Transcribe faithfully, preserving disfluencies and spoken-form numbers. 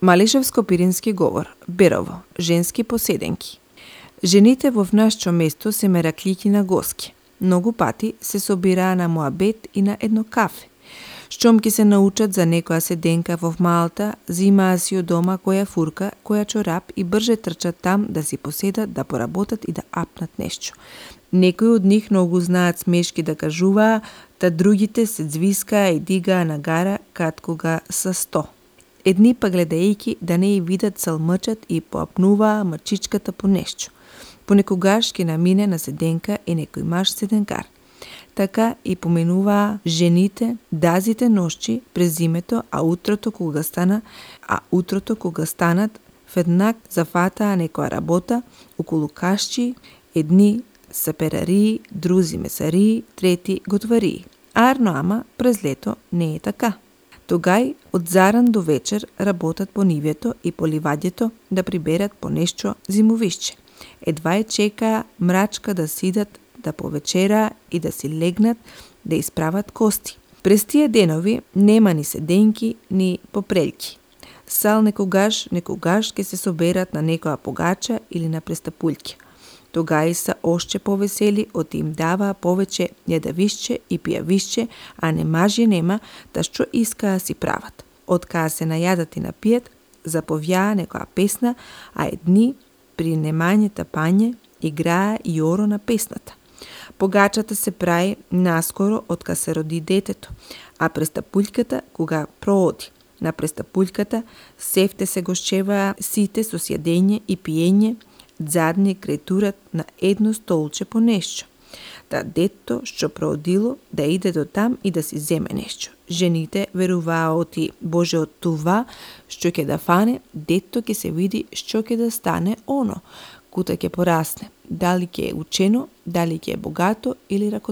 Малишевско-пирински говор, Берово, женски поседенки. Жените во нашето место се мераклики на госки. Многу пати се собираа на муабет и на едно кафе. Штом ќе се научат за некоја седенка во Малта, зимаа си од дома која фурка, која чорап и брже трчат там да си поседат, да поработат и да апнат нешто. Некои од нив многу знаат смешки да кажуваа, та другите се звискаа и дигаа на гара кад кога са сто. Едни па гледајќи да не ја видат салмъчат и поапнуваа мачичката по нешто. Понекогаш ќе намине на седенка и некој маж седенкар. Така и поменуваа жените дазите ношчи през зимето, а утрото кога стана, а утрото кога станат, веднак зафатаа некоја работа околу кашчи, едни саперарии, друзи месарии, трети готварии. Арно ама през лето не е така. Тогај од заран до вечер работат по нивето и по ливаѓето да приберат по нешто зимовишче. Едва е чекаа мрачка да сидат, да повечераа и да си легнат, да исправат кости. През тие денови нема ни седенки, ни попрелки. Сал некогаш, некогаш ќе се соберат на некоја погача или на престапулјки. Тогај са ошче повесели, оти им даваа повеќе јадавишче и пијавишче, а не мажи нема, та што искаа си прават. Откаа се најадат и напијат, заповјаа некоја песна, а едни при немањето пање играа и оро на песната. Погачата се прави наскоро откако се роди детето, а престапулјката кога прооди. На престапулјката севте се гошчеваа сите со сјадење и пиење, задни креатурат на едно столче по нешто. Та детто што проодило да иде до там и да си земе нешто. Жените веруваа оти Боже од това што ќе да фане, детто ќе се види што ќе да стане оно, кута ќе порасне, дали ќе е учено, дали ќе е богато или ракоделно.